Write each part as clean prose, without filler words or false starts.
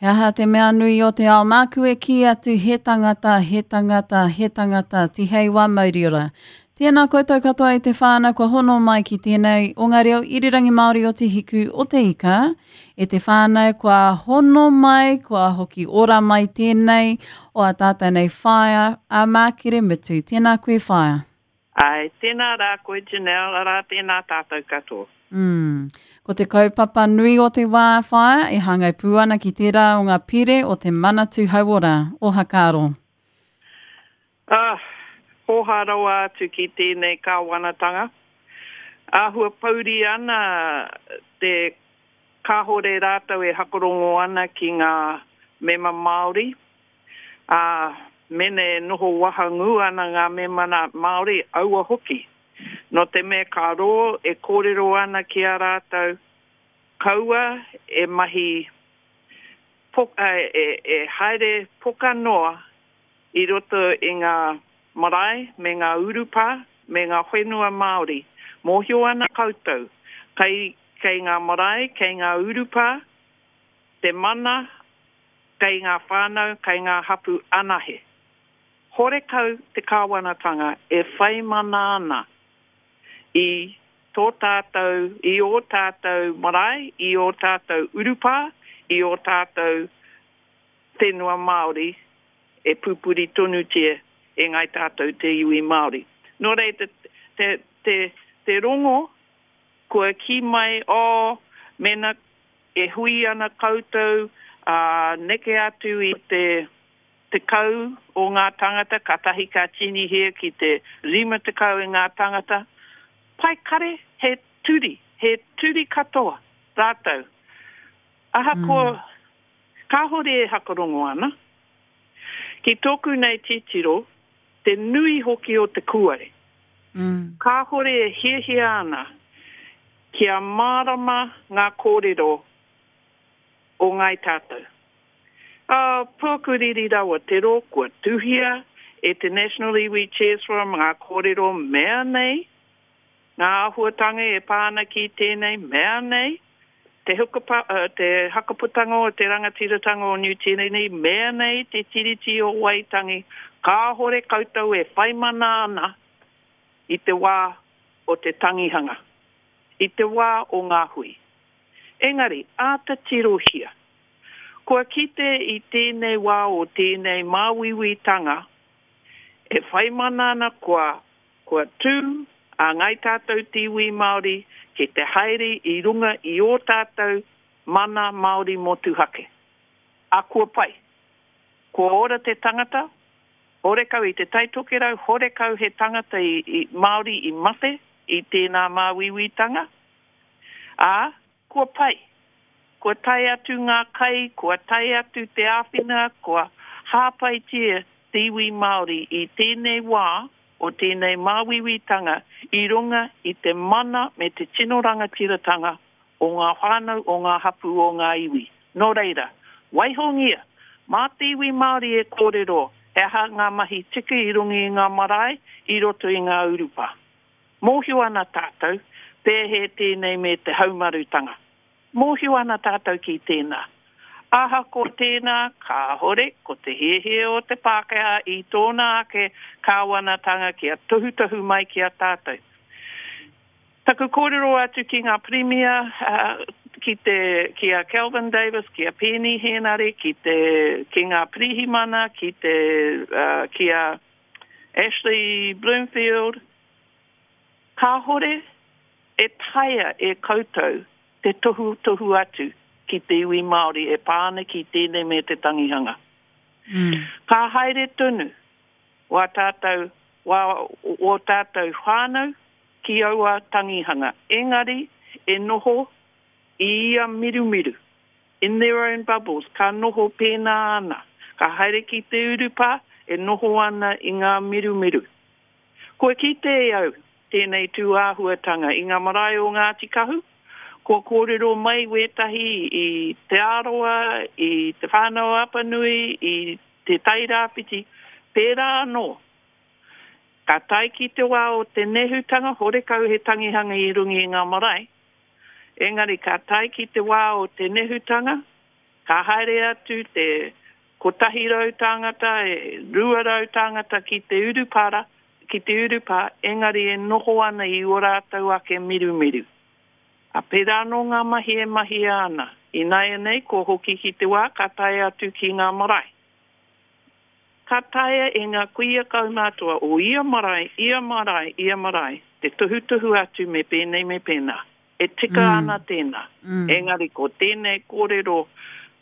He aha te mea nui o te ao māku e kī atu he tangata, he tangata, he tangata, tihei wā mauriora. Tēnā koutou katoa i te whānau kua hono mai ki tēnei o ngā reo irirangi Māori o Te Hiku o Te Ika. E te whānau kua hono mai, kua hoki ora mai tēnei o a tātou nei whaea, a Mākere Mutu. Tēnā koe whaea. Āe, tēnā rā koe Janelle, arā tēnā tātou katoa. Mm. Ko te kaupapa nui o te wā whaea e hāngai pū ana ki tērā o ngā pire o te Manatū Hauora o Hakaaro. Ah, hōhā rawa atu ki tēnei kāwanatanga. Āhua pouri ana te kāhore rātou e hakarongo ana ki ngā mema Māori. Ā, mene e noho wahangū ana ngā memana Māori, aua hoki. Nō te mea ka rō e kōrero ana ki a rātou, kaua e mahi poka, e, e haere poka noa i roto i ngā marae me ngā urupā me ngā whenua Māori. Mōhio ana koutou, kei, kei ngā marae, kei ngā urupā te mana Kei ngā whānau, kei ngā hapū anahe. Horekau te kāwanatanga e whai mana ana i tō tātou, i ō tātou marae, i ō tātou urupā, i ō tātou whenua Māori e pupuri tonutia e ngāi tātou te iwi Māori. Nō reira, te, te, te rongo kua kī mai, oh, mēnā E hui ana koutou, ā, neke atu i te 10 o ngā tāngata, kātahi ka tīnihia ki te 50 i ngā tāngata. Pai kare, he turi, he turi katoa rātou. Ahakoa kāhore e hakarongo ana, ki tōku nei titiro, te nui hoki o te kūare. Kāhore e hiahia ana Kia mārama ngā kōrero o Ngāi Tātou. Ā, pōkuriri rawa te rō kua tuhia e te National Iwi Chairs Forum ngā kōrero mea nei, ngā āhuatanga e pā ana ki tēnei mea nei, te hukapa, te hakaputanga o te rangatiratanga o Niu Tīreni, mea nei te Tiriti o Waitangi, kāhore koutou e whaimana ana i te wā o te tangihanga, i te wā o ngā hui. Engari, āta tirohia. Kua kite i tēnei wā o tēnei māuiuitanga e whai mana ana kua, kua tū a Ngāi Tātou te iwi Māori ki te haere i runga i ō tātou mana Māori motuhake. A kua pai. Kua ora te tangata, Horekau i Te Tai Tokerau, horekau he tangata i, i, Māori i mate i tēnā māuiuitanga, ā, kua pai. Kua tae atu ngā kai, kua tae atu te āwhina, kua hāpaitia te iwi Māori i tēnei wā o tēnei māuiuitanga i runga i te mana me te tino rangatiratanga o ngā whānau, o ngā hapū, o ngā iwi. Nō reira, waihongia, mā te iwi Māori e kōrero he aha ngā mahi tika i runga i ngā marae, i roto i ngā urupā. Mōhio ana tātou, pēhē tēnei me te haumarutanga. Mōhio ana tātou ki tēnā. Ahakoa tēnā, kāhore ko te hiahia o te Pākehā i tōna ake kāwanatanga kia tohutohu mai ki a tātou. Taku kōrero atu ki ngā Pirimia, ki te, ki a Kelvin Davis, ki a Peeni Henare, ki te, ki ngā Pirihimana, ki te, ki a Ashley Bloomfield, kāhore e taea e koutou te tohutohu atu ki te iwi Māori e pā ana ki tēnei me te tangihanga. Ka haere tonu wā tātou, wā, ō tātou whānau ki aua tangihanga, engari e noho i ia mirumiru, in their own bubbles, ka noho pēnā ana, ka haere ki te urupā e noho ana i ngā mirumiru. Kua kite e au tēnei tū āhuatanga i ngā marae o Ngāti Kahu, kua kōrero mai wētahi i Te Arawa, i Te Whānau-a-Apanui, i Te Tairāwhiti, pērā anō. Ka tae ki te wā o te nehutanga, horekau he tangihanga i runga i ngā marae, engari ka tae ki te wā o te nehutanga, Ka haere atu te 100 tāngata, 200 tāngata ki te urupara, ki te urupā, engari e noho ana i ō rātou ake mirumiru. Ā, pērā anō ngā mahi e mahia ana. Ināianei, kua hoki ki te wā ka tae atu ki ngā marae. Ka taea e ngā kuia kaumātua o ia marae, ia marae, ia marae, te tohutohu atu me pēnei me pēnā. E tika ana tēnā. Engari ko tēnei kōrero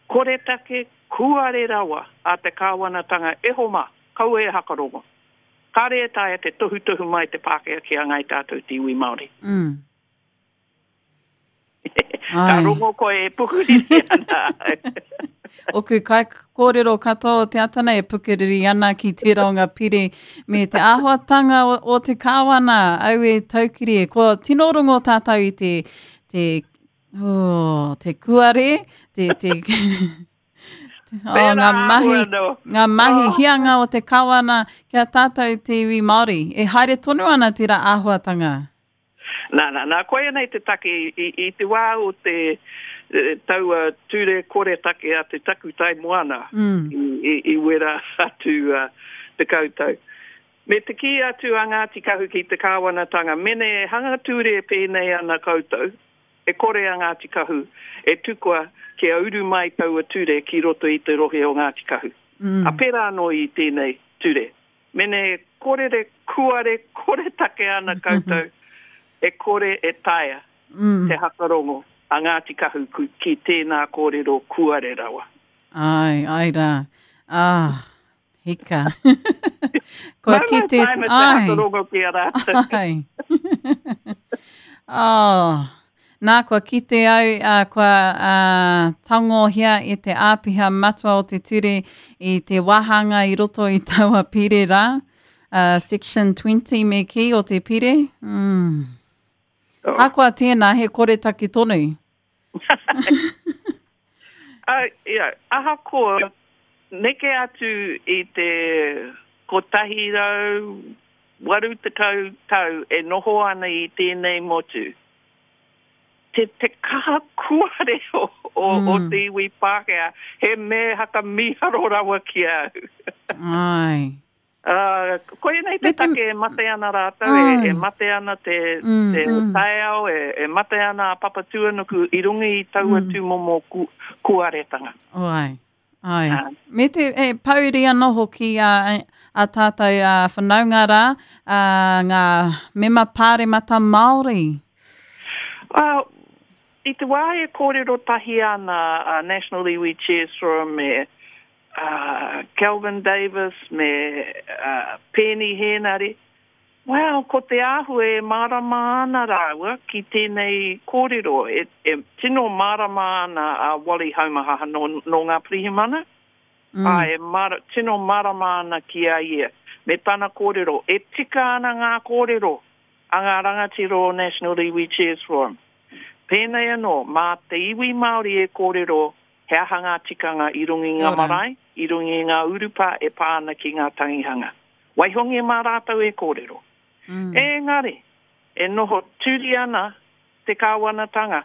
koretake, kūare rawa a te kāwanatanga e homa, kaua e hakarongo. Kāre e taea te tohutohu mai te Pākehā ki a Ngāi Tātou te iwi Māori. Ka rongo koe e pukuriri ana au. Oku kaikōrero katoa o te ata nei e pukuriri ana ki tērā o ngā pire me te āhuatanga o, o te kāwana, au e taukiri e. Kua tino rongo tātou i te, te, oh, te kuare, te, te, oh, ngā mahi, ngā mahi oh. hianga o te kāwana ki a tātou te iwi Māori. E haere tonu ana tērā āhuatanga. Nā, nā, nā, koia nei te take i, i, i te wā o te taua ture koretake a te takutai moana mm. i, i, i wera atu uh, te tau. Me te kī atu a Ngāti Kahu ki te kāwanatanga, mene e hanga ture pēnei ana koutou, e kore a Ngāti Kahu e tukua kia uru mai taua ture ki roto i te rohe o Ngāti Kahu. Mm. A pērā anō i tēnei ture. Mene e korere, kuare, koretake ana koutou, e kore e taea te hakarongo a Ngāti Kahu ki tēnā kōrero kuare rawa. Āe, āe rā. Ah, hika. Kua kite, āe. Te hakarongo ki a rātou. Āe. Oh. Nā, kua kite au, ā, kua ā, tangohia e te āpiha matua o te ture i te wāhanga i roto i taua pire rā, ā, section 20 me kī o te pire. Mm. Oh. Ahakoa tēnā, he koretake tonu. Uh, yeah, ahakoa, neke atu i te 180 tau e noho ana i tēnei motu, te, te kaha kuare o, o, mm. o te iwi Pākehā, he me haka mīharo rawa ki a au. Ai. Uh, koia nei te take e mate ana rātou, e, e mate ana te, mm, te mm. taiao, e, e mate ana a Papatūānuku i runga i taua mm. tūmomo ku, kuaretanga. Oh, ai. Ai. Uh, Me te e, pouri anō hoki a, a tātou a whanaunga rā, a, ngā mema pāremata Māori. Uh, I te wā e kōrero tahi ana a National Iwi Chairs Forum me uh, Kelvin Davis me uh, Peeni Hēnare, well, ko te āhua e mārama ana rāua ki tēnei kōrero. E, e tino mārama ana a Wally Haumahaha nō, nō ngā pirihimana. Mm. Ā, e mara, tino mārama ana ki a ia. Me tana kōrero, e tika ana ngā kōrero a ngā rangatira o National Iwi Chairs Forum. Pēnei anō, mā te iwi Māori e kōrero he aha ngā tikanga i runga i ngā marae, i runga i ngā urupā e pā ana ki ngā tangihanga. Waihongia mā rātou e kōrero. Mm. Engari, e noho turi ana te kāwanatanga.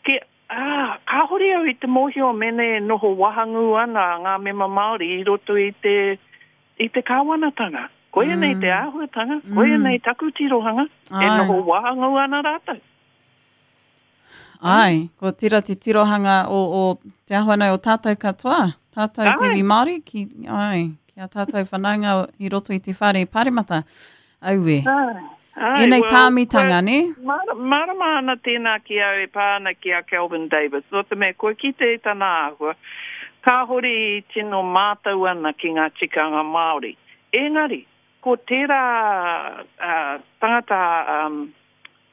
Ki, ā, kāhore au i te mōhio mēnā e noho wahangū ana ngā mema Māori i roto i te, i te kāwanatanga. Koia nei te mm. āhuatanga, koia mm. nei taku tirohanga, e noho wahangū ana rātou. Ai, ko tira te tirohanga o, o te ahua nei o tātou katoa, tātou te iwi Māori, ki, ai, ki a tātou whanaunga i roto i te whare paremata. Aue. Ai, Ēnei well, tāmitanga, ne? Mārama ana tēnā ki au e pā ana ki a Kelvin Davis, nō te mea kua kite i tana āhua, kāhore i tino mātau ana ki ngā tikanga Māori. Engari, ko tērā uh, tangata um,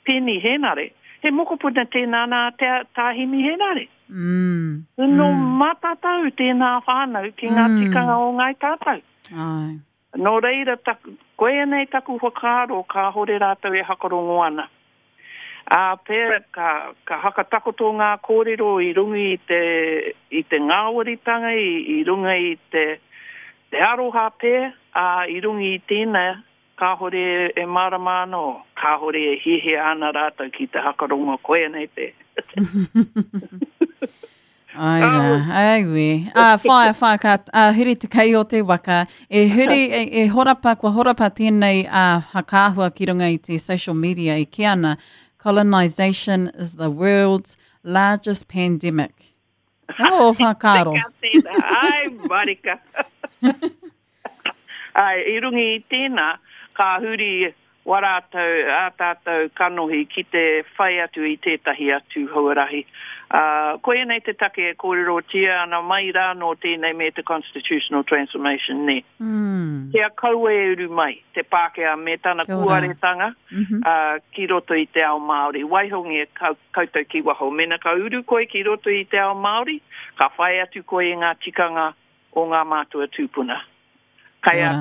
Peeni Hēnare, he mokopuna tēnā nā Te Tā Himi Hēnare. Mm. Nō mm. matatau tēnā whānau ki ngā mm. tikanga o Ngāi Tātou. Ai. Nō reira, taku, koia nei taku whakaaro kāhore rātou e hakarongo ana. Ā, pea, ka, ka hakatakoto ngā kōrero i runga i te, i te ngāwaritanga, i, i runga i te, te aroha pea, ā, i runga i tēnā, Kāhore e mārama ana, kāhore e hiahia ana rātou ki te hakarongo, koia nei te. Ai rā, aue. Ā, whaia, whaia, ka ā, huri te kei o te waka. E huri, e, e horapa, kua horapa tēnei ā, whakaahua ki runga i te social media e kī ana, Colonisation is the world's largest pandemic. He aha ō whakaaro? Teka tēnā, ai, marika. Ai, i runga i tēnā, ka huri wa rātou, ā tātou kanohi ki te whai atu i tētahi atu huarahi. Ā, koianei te take e kōrerotia ana mai rā nō tēnei me te Constitutional Transformation, nē. Kia kaua e uru mai te Pākehā me tana kūaretanga, ā, ki roto i te ao Māori. Waihongia koutou ki waho. Mēnā ka uru koe ki roto i te ao Māori, ka whai atu koe i ngā tikanga o ngā mātua tūpuna. Kei a,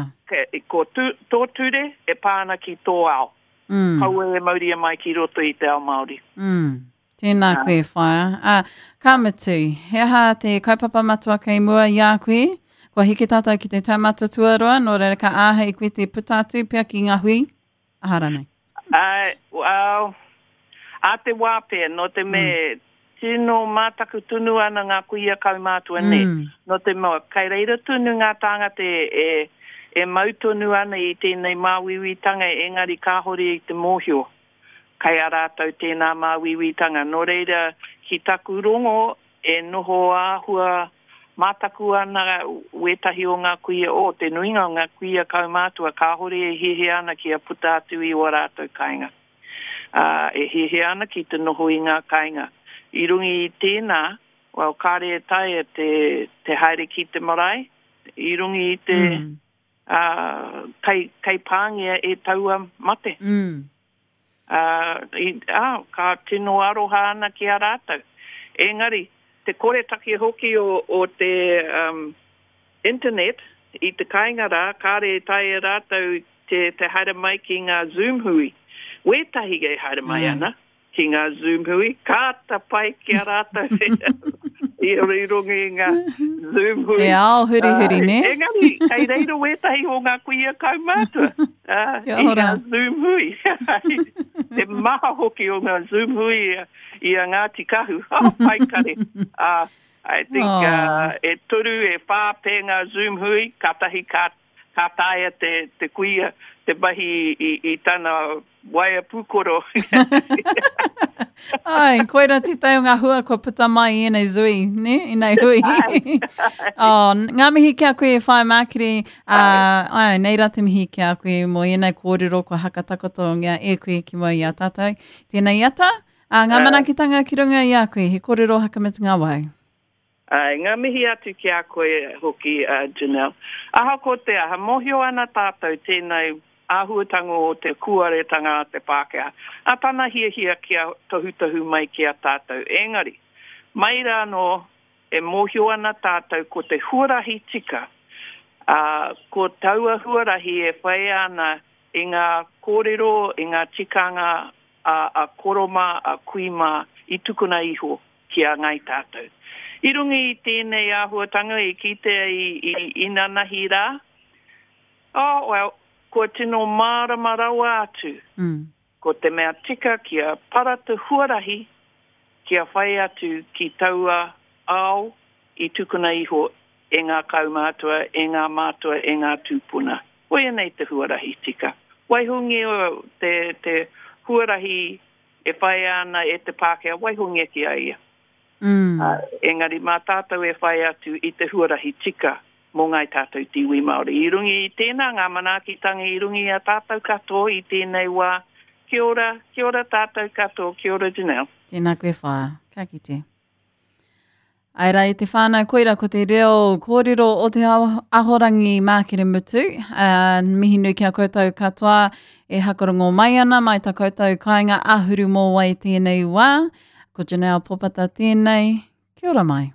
ko tu, tō ture e pā ana ki tō ao. Mm. Kaua e mauria mai ki roto i te ao Māori. Mm. Tēnā koe, whaea. Ā, ka mutu, he aha te kaupapa matua kei mua i a koe? Kua heke tātou ki te taumata tuarua, nō reira ka āhei koe te puta atu pea ki ngā hui, aha rānei? Āe, well, ā te wā pea, nō te mea tino mātaku tonu ana ngā kuia kaumātua nē. Nō te mea, kei reira tonu ngā tāngata e, e mau tonu ana i tēnei māuiuitanga engari kāhore i te mōhio kei a rātou tēnā māuiuitanga. Nō reira, ki taku rongo, e noho āhua mātaku ana wētahi o ngā kuia, oh, te nuinga o ngā kuia kaumātua kāhore e hiahia ana kia puta atu i ō rātou kāinga. Ā, e hiahia ana ki te noho i ngā kāinga. I runga i tēnā, well, kāre e taea te, te haere ki te marae, i runga i te, ā, kei, kei pāngia e taua mate. Ā, i, ā, ka tino aroha ana ki a rātou. Engari, te koretake hoki o, o te, um, internet i te kāinga rā, kāre e taea rātou te, te haere mai ki ngā Zoom hui. Wētahi e haere mai ana ki ngā Zoom hui, kāta pai ki a rātou i runga i ngā Zoom hui. He ao hurihuri, nē? Engari, kei reira wētahi o ngā kuia kaumātua i ngā Zoom hui. Te maha hoki o ngā Zoom hui i a Ngāti Kahu. Oh, pai kare. I think e toru, e whā pea ngā Zoom hui, kātahi ka Ka taea te, te kuia te mahi i, i tana waea pūkoro. Ai, koira tētahi o ngā hua kua puta mai i ēnei zui, ne? Ēnei hui. Ai. oh, ngā mihi ki a koe e whai mākiri. Uh, ai, nei rā te mihi ki a koe mō ēnei kōrero kua hakatakotongia e koe ki mua i a tātou. Tēnei ata, uh, ngā manaakitanga ki runga i a koe, he kōrero hakamutunga wau. Āe, ngā mihi atu ki a koe hoki, Janelle. Ahakoa te aha, mōhio ana tātou tēnei āhuatanga o te kūaretanga a te Pākehā, a tana hiahia kia tohutohu mai ki a tātou. Engari, mai rānō e mōhio ana tātou ko te huarahi tika, ā, ko taua huarahi e whai ana i ngā kōrero, i ngā tikanga a, a koro mā, a kui mā i tukuna iho ki a Ngāi Tātou. I runga i tēnei āhuatanga i kitea i, i inanahi rā, oh, well, kua tino mārama rawa atu. Mm. Ko te mea tika kia para te huarahi kia whai atu ki taua ao i tukuna iho e ngā kaumātua, e ngā mātua, e ngā tūpuna. Koia nei te huarahi tika. Waihongia te, te huarahi e whaia ana e te Pākehā, waihongia ki a ia. Mm. Uh, engari mā tātou e whai atu i te huarahi tika mō ngāi tātou te iwi Māori. I runga i tēnā, ngā manaakitanga i runga i a tātou katoa i tēnei wā. Kia ora, kia ora tātou katoa, kia ora Janelle. Tēnā koe whaea, ka kite. Ae rā, e te whānau, koira ko te reo kōrero o te ahorangi Mākere Mutu. Uh, mihi nui ki a koutou katoa e hakarongo mai ana, mai tā koutou kāinga ahuru mōwai tēnei wā. Ko Janelle Popata tēnei. Kia ora mai.